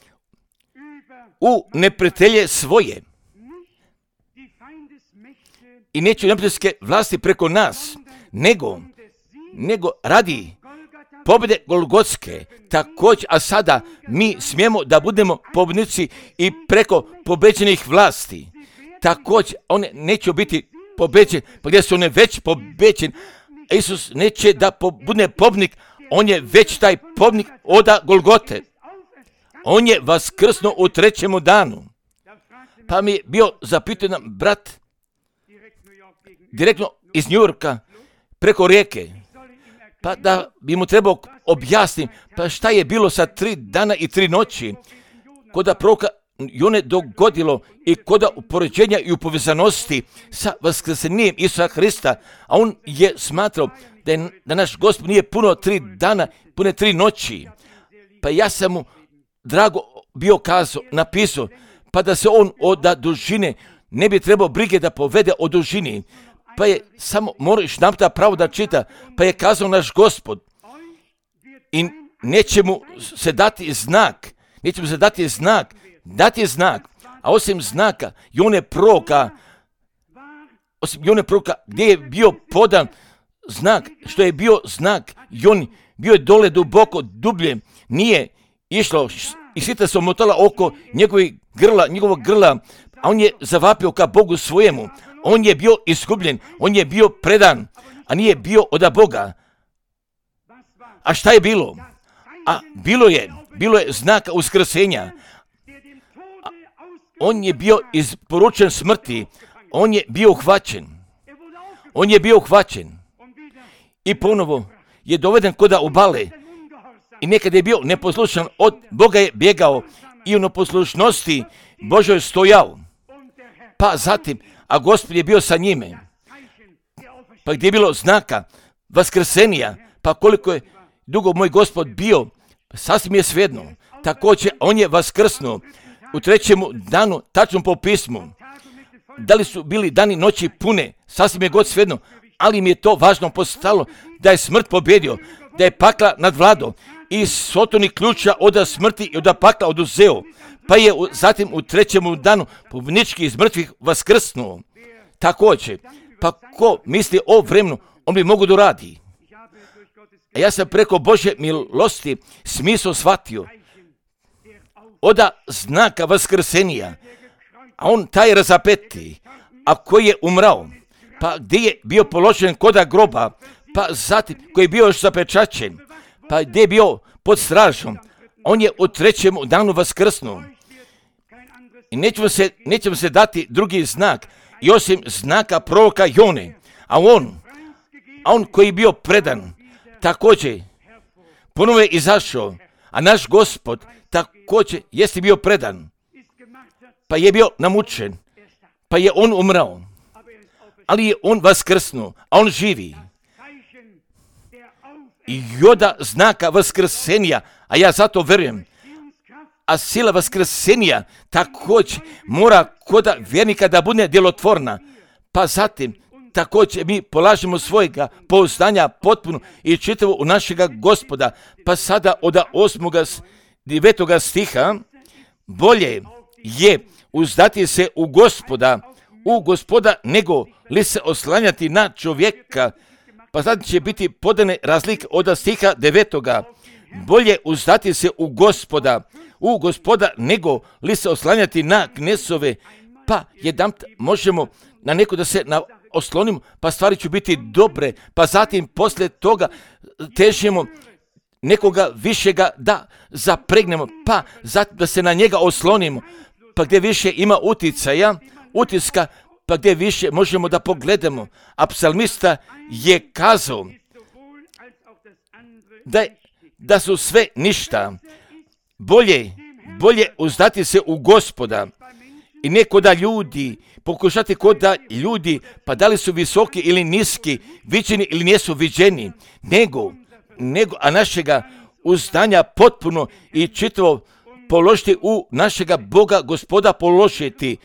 u neprijatelje svoje. i neće neprijateljske vlasti preko nas, nego radi pobjede Golgotske također, a sada mi smijemo da budemo pobjednici i preko pobeđenih vlasti. Također, one neće biti pobeđene, pa gdje su one već pobeđene. Isus neće da bude pobjednik, on je već taj pobjednik oda Golgote. On je vaskrsnuo u 3. danu. Pa mi je bio zapitan brat direktno iz New Yorka preko rijeke. Pa da bi mu trebao objasniti, pa šta je bilo sa 3 dana i 3 noći, koda proroka Jone dogodilo i koda upoređenja i upovezanosti sa vaskrsenjem Isusa Hrista, a on je smatrao da naš Gospod nije puno 3 dana, pune 3 noći. Pa ja sam mu drago bio napisao, pa da se on od dužine ne bi trebao brige da povede o dužini. Pa je samo moraš napta pravo da čita, pa je kazao naš Gospod i neće mu se dati znak, a osim znaka Jone proroka, gdje je bio podan znak, što je bio znak, Jon bio je dole duboko, dublje, nije išlo i svita se omotala oko njegovog grla, a on je zavapio ka Bogu svojemu. On je bio iskupljen, on je bio predan, a nije bio od Boga. A šta je bilo? A bilo je znaka uskrsenja. On je bio isporučen smrti, on je bio uhvaćen. I ponovo je doveden koda obale. I nekada je bio neposlušan, od Boga je bjegao i u neposlušnosti Božoj stojao. Pa zatim, a Gospod je bio sa njime. Pa gdje je bilo znaka vaskrsenja, pa koliko je dugo moj Gospod bio, sasvim je svejedno. Također, on je vaskrsnuo u 3. danu, tačno po pismu. Da li su bili dani noći pune, sasvim je god svejedno, ali mi je to važno postalo da je smrt pobjedio, da je pakla nadvladao i sotoni ključa od smrti i od pakla oduzeo. Pa je zatim u 3. danu pobjednički iz mrtvih vaskrsnuo. Također, pa ko misli o vremenu, on bi mogu da radi. A ja sam preko Božje milosti smisao shvatio od znaka vaskrsenja, a on taj razapeti, a koji je umrao, pa gdje je bio položen koda groba, pa zatim koji je bio još zapečaćen, pa gdje je bio pod stražom, on je u 3. danu vaskrsnuo. I nećemo se dati drugi znak, i osim znaka proroka Jone, a on koji je bio predan, također ponovo je izašao, a naš Gospod također jeste bio predan, pa je bio namučen, pa je on umrao, ali je on vaskrsnuo, a on živi. I joda znaka vaskrsenja, a ja zato verujem, a sila vaskrsenja također mora koda vjernika da bude djelotvorna, pa zatim također mi polažemo svojega pouzdanja potpuno i čitavo u našega Gospoda, pa sada od 8. 9. stiha, bolje je uzdati se u Gospoda, nego li se oslanjati na čovjeka, pa sad će biti podane razlike od stiha 9. Bolje uzdati se u Gospoda, nego li se oslanjati na knesove, pa jedanput možemo na neko da se oslonimo, pa stvari će biti dobre, pa zatim poslije toga težimo nekoga višega da zapregnemo, pa zatim da se na njega oslonimo, pa gdje više ima utiska, pa gdje više možemo da pogledamo. A psalmista je kazao da su sve ništa, bolje uzdati se u Gospoda i ne koda ljudi, pokušati koda ljudi, pa da li su visoki ili niski, viđeni ili nisu viđeni, a našega uzdanja potpuno i čitavo položiti u našega Boga Gospoda položiti.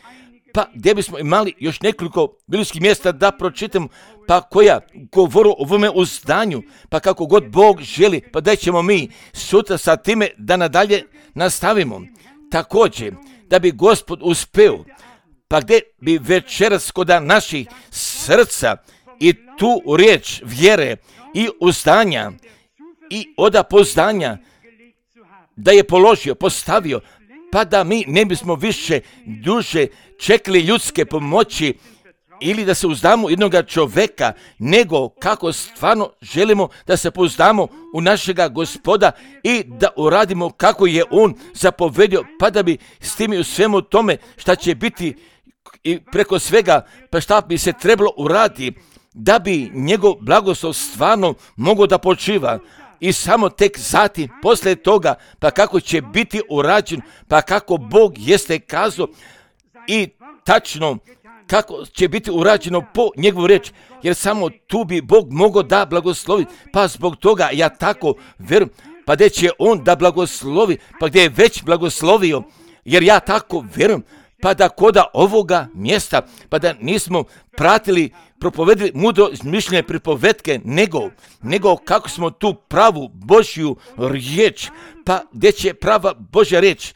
Pa gdje bismo imali još nekoliko biblijskih mjesta da pročitamo, pa koja govoru o ovome uzdanju, pa kako god Bog želi, pa da ćemo mi sutra sa time da nadalje nastavimo. Također, da bi Gospod uspeo, Pa gdje bi večeras koda naših srca i tu riječ vjere i uzdanja i oda poznanja da je položio, postavio, pa da mi ne bismo više duže čekali ljudske pomoći ili da se uzdamo jednog čovjeka, nego kako stvarno želimo da se pouzdamo u našega Gospoda i da uradimo kako je On zapovedio, pa da bi s tim i u svemu tome šta će biti i preko svega, pa šta bi se trebalo uraditi, da bi njegov blagoslov stvarno mogao da počiva. I samo tek zatim, poslije toga, pa kako će biti urađen, pa kako Bog jeste kazao i tačno kako će biti urađeno po njegovu riječ, jer samo tu bi Bog mogao da blagoslovi. Pa zbog toga ja tako vjerujem, pa gdje će On da blagoslovi, pa gdje je već blagoslovio, jer ja tako vjerujem, pa da koda ovoga mjesta, pa da nismo pratili, propovedili mudro mišljenje pripovetke, nego kako smo tu pravu Božju riječ, pa gdje će prava Božja riječ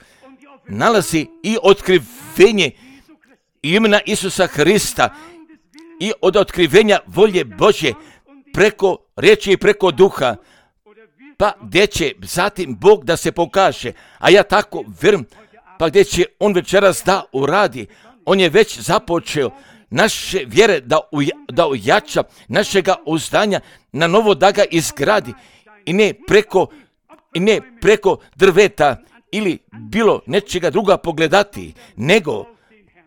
nalazi i otkrivenje imena Isusa Hrista i od otkrivenja volje Božje preko riječi i preko duha, pa gdje će zatim Bog da se pokaže, a ja tako vjerujem, pa gdje će On večeras da uradi. On je već započeo naše vjere da ojača, našega uzdanja na novo da ga izgradi i ne preko drveta ili bilo nečega druga pogledati, nego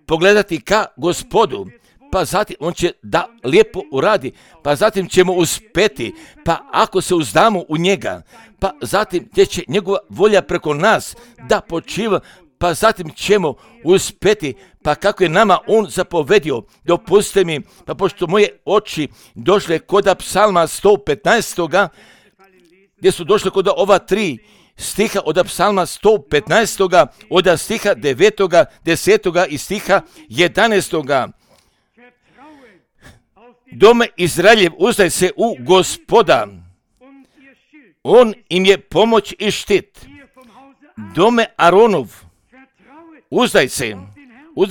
pogledati ka Gospodu, pa zatim On će da lijepo uradi, pa zatim ćemo uspjeti, pa ako se uzdamo u njega, pa zatim gdje će njegova volja preko nas da počiva, pa zatim ćemo uspjeti, pa kako je nama On zapovedio. Dopustite mi, pa pošto moje oči došle koda psalma 115. gdje su došle koda ova 3 stiha od psalma 115. od stiha 9. 10. i stiha 11. Dome Izraeljev, uzdaj se u Gospoda, On im je pomoć i štit. Dome Aronov, uzdaj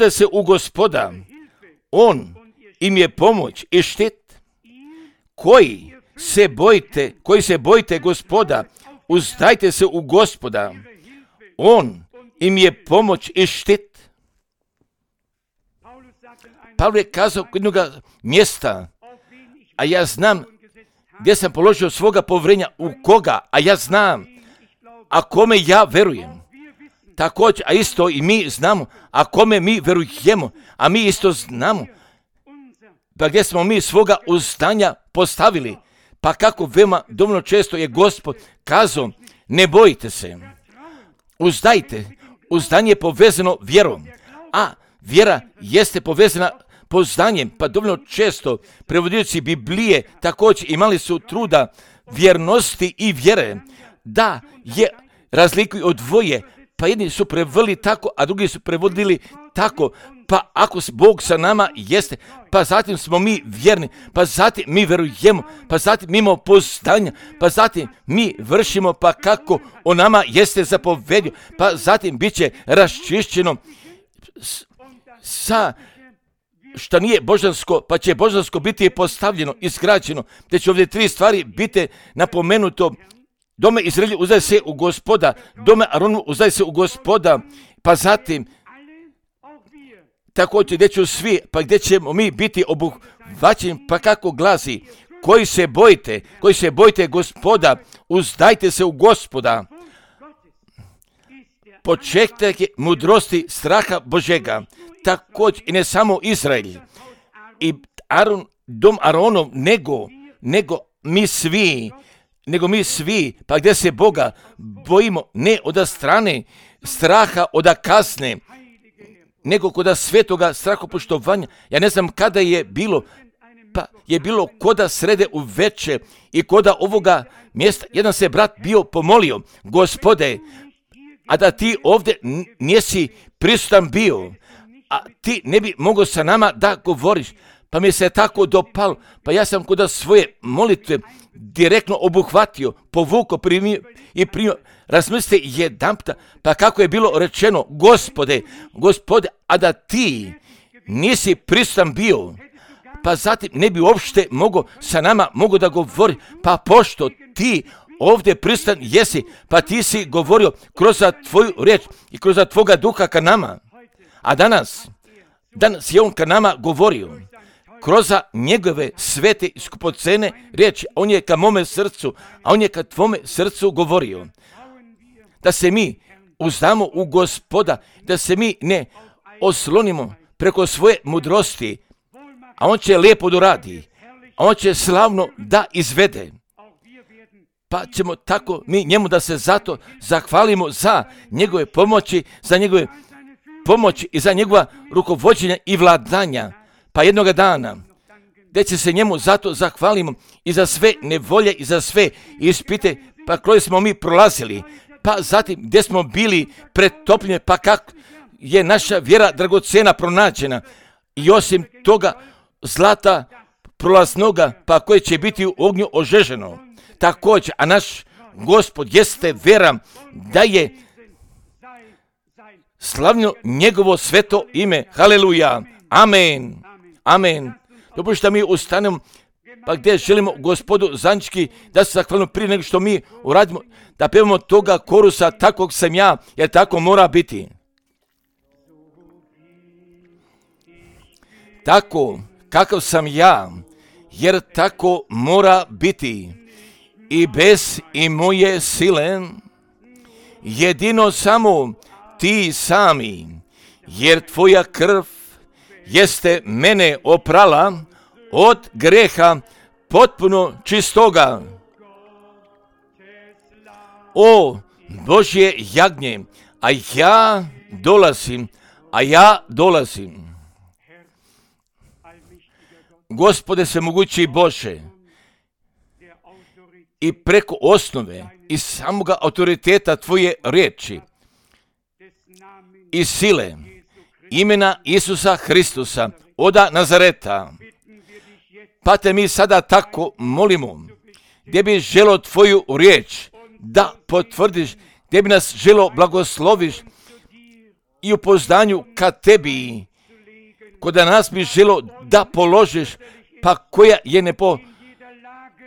se u Gospoda, On im je pomoć i štit. Koji se bojite Gospoda, uzdajte se u Gospoda, On im je pomoć i štit. Pavle je kazao kod jednog mjesta, a ja znam gdje sam položio svoga povjerenja, u koga, a ja znam, a kome ja verujem. Također, a isto i mi znamo, a kome mi verujemo, a mi isto znamo, pa gdje smo mi svoga uzdanja postavili, pa kako veoma dovoljno često je Gospod kazao, ne bojite se, uzdajte, uzdanje je povezano vjerom, a vjera jeste povezana poznanjem, pa dovoljno često prevodioci Biblije također imali su truda vjernosti i vjere, da je razlikuju od dvoje, pa jedni su prevodili tako, a drugi su prevodili tako, pa ako Bog sa nama jeste, pa zatim smo mi vjerni, pa zatim mi verujemo, pa zatim mi imamo poznanja, pa zatim mi vršimo, pa kako o nama jeste zapovedio, pa zatim bit će raščišćeno sa što nije božansko, pa će božansko biti postavljeno, izgrađeno, te će ovdje 3 stvari biti napomenuto. Dome Izraelju, uzdaj se u Gospoda, dome Aronu, uzdaj se u Gospoda, pa zatim također gdje ću svi, pa gdje ćemo mi biti obuhvaćeni, pa kako glasi, koji se bojite Gospoda, uzdajte se u Gospoda. Početak je mudrosti straha Božega, također i ne samo Izrael i dom Aronov, nego mi svi, pa gdje se Boga bojimo, ne od strane straha, od kazne, nego kod svetoga strahopoštovanja. Ja ne znam kada je bilo, pa je bilo koda srede u veče i koda ovoga mjesta, jedan se brat bio pomolio, Gospode, a da ti ovdje nisi prisutan bio, a ti ne bi mogao sa nama da govoriš, pa mi se tako dopalo, pa ja sam kod svoje molitve direktno obuhvatio, povukao i primio. Razmislite jedanputa, pa kako je bilo rečeno, Gospode, a da ti nisi prisutan bio, pa zatim ne bi uopšte sa nama mogo da govori, pa pošto ti ovdje prisutan jesi, pa ti si govorio kroz tvoju riječ i kroz tvoga duha ka nama. A danas je on ka nama govorio kroz njegove svete i skupocene riječi. On je ka mome srcu, a on je ka tvome srcu govorio. Da se mi uzdamo u Gospoda, da se mi ne oslonimo preko svoje mudrosti, a on će lijepo da radi, a on će slavno da izvede. Pa ćemo tako mi njemu da se zato zahvalimo za njegove pomoći, za njegove pomoći i za njegova rukovođenja i vladanja. Pa jednoga dana, gdje će se njemu zato zahvalimo i za sve nevolje i za sve ispite, pa koje smo mi prolazili, pa zatim gdje smo bili pretopljeni, pa kako je naša vjera dragocena pronađena i osim toga zlata prolaznoga, pa koje će biti u ognju ožeženo. Također, a naš Gospod jeste vera da je slavno njegovo sveto ime. Haleluja. Amen. Amen. Dopušta mi ustanemo, pa gdje želimo Gospodu zajednički da se zahvalimo prije nego što mi uradimo, da pevamo toga korusa, takvog sam ja, jer tako mora biti. Tako kakav sam ja, jer tako mora biti. I bez i moje sile, jedino samo ti sami, jer tvoja krv jeste mene oprala od greha potpuno čistoga. O Božje jagnje, a ja dolazim. Gospode svemogući Bože, i preko osnove i samoga autoriteta tvoje riječi i sile imena Isusa Hristusa oda Nazareta, pa te mi sada tako molimo, gdje bi želo tvoju riječ da potvrdiš, gdje bi nas želo blagosloviš i u poznanju ka tebi, koda nas bi želo da položiš, pa koja je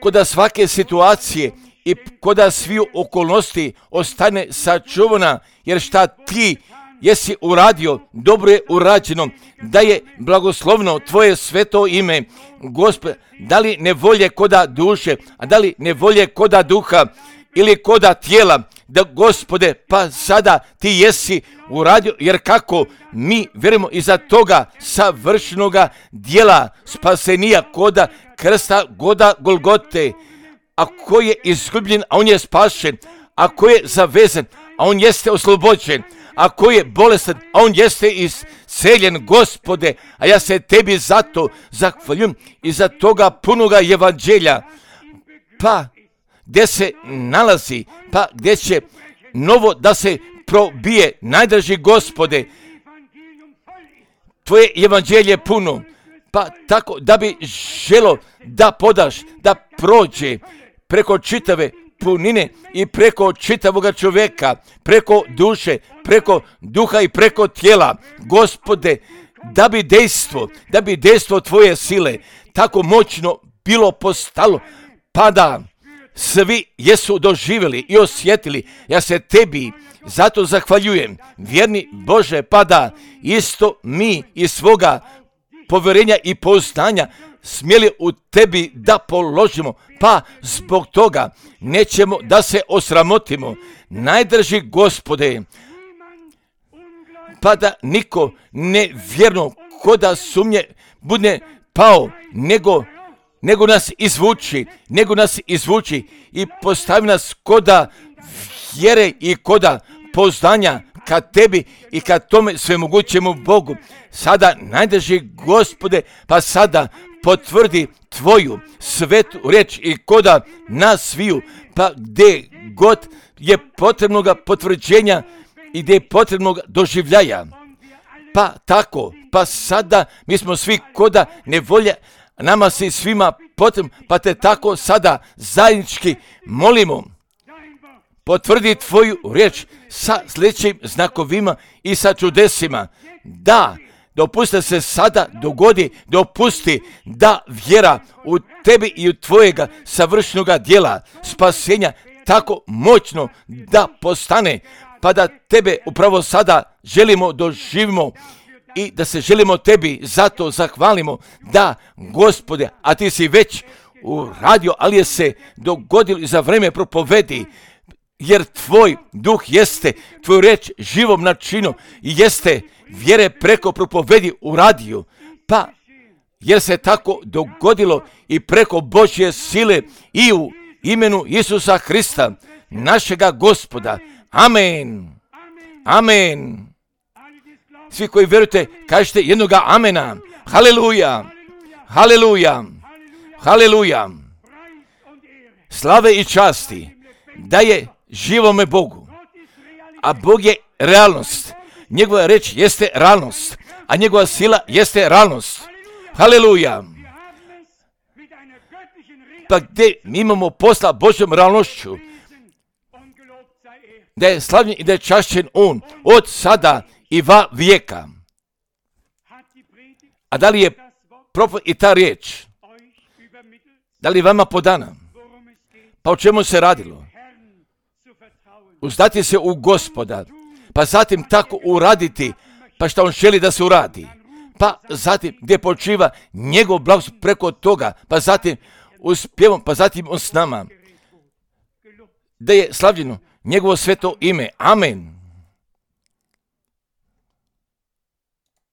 koda svake situacije i koda sviju okolnosti ostane sačuvana, jer šta ti jesi uradio, dobro je urađeno, da je blagoslovno tvoje sveto ime. Gospod, da li nevolje koda duše, a da li nevolje koda duha ili koda tijela, da Gospode, pa sada ti jesi uradio, jer kako mi vjerujemo iza toga savršenoga dijela spasenija koda krsta goda Golgote, a ko je izgubljen, a on je spašen, a ko je zavezan, a on jeste oslobođen, a ko je bolestan, a on jeste isceljen. Gospode, a ja se tebi zato zahvaljujem i za toga punoga evanđelja, pa gdje se nalazi, pa gdje će novo da se probije. Najdraži Gospode, tvoje evanđelje puno, pa tako da bi želo da podaš, da prođe preko čitave punine i preko čitavoga čovjeka, preko duše, preko duha i preko tijela. Gospode, da bi dejstvo tvoje sile tako moćno bilo postalo, pa da svi jesu doživjeli i osjetili. Ja se tebi zato zahvaljujem, vjerni Bože, pa da isto mi iz svoga povjerenja i poznanja smjeli u tebi da položimo, pa zbog toga nećemo da se osramotimo. Najdraži Gospode, pa da niko nevjerno koda sumnje bude pao, nego nas izvuči i postavi nas koda vjere i koda poznanja ka tebi i ka tome svemogućemu Bogu. Sada, najdraži Gospode, pa sada potvrdi tvoju svetu riječ i koda nas sviju, pa gdje god je potrebnoga potvrđenja i gdje je potrebnoga doživljaja. Pa tako, pa sada mi smo svi koda nevolja, nama se svima potrebno, pa te tako sada zajednički molimo. Potvrdi tvoju riječ sa sljedećim znakovima i sa čudesima. Da dopusti da se sada dogodi, dopusti da vjera u tebi i u tvojega savršenoga djela spasenja tako moćno da postane, pa da tebe upravo sada želimo doživimo i da se želimo tebi zato zahvalimo. Da, Gospode, a ti si već uradio, ali je se dogodilo i za vreme propovedi, jer tvoj duh jeste, tvoju reč živom načinu i jeste vjere preko propovedi uradio, pa jer se tako dogodilo i preko Božje sile i u imenu Isusa Hrista, našega Gospoda. Amen. Amen. Svi koji vjerujete, kažete jednoga amena. Haleluja. Haleluja. Haleluja. Slave i časti da je živome Bogu. A Bog je realnost. Njegova reč jeste realnost, a njegova sila jeste realnost. Haleluja. Pa gdje mi imamo posla Božjom realnošću, da je slavljen i da je čašćen On od sada i va vijeka. A da li je i ta riječ, da li je vama podana? Pa o čemu se radilo? Uzdati se u Gospoda, pa zatim tako uraditi, pa što On želi da se uradi. Pa zatim gdje počiva njegov blagoslov preko toga, pa zatim uspjevom, pa zatim On s nama. Da je slavljeno njegovo sveto ime. Amen.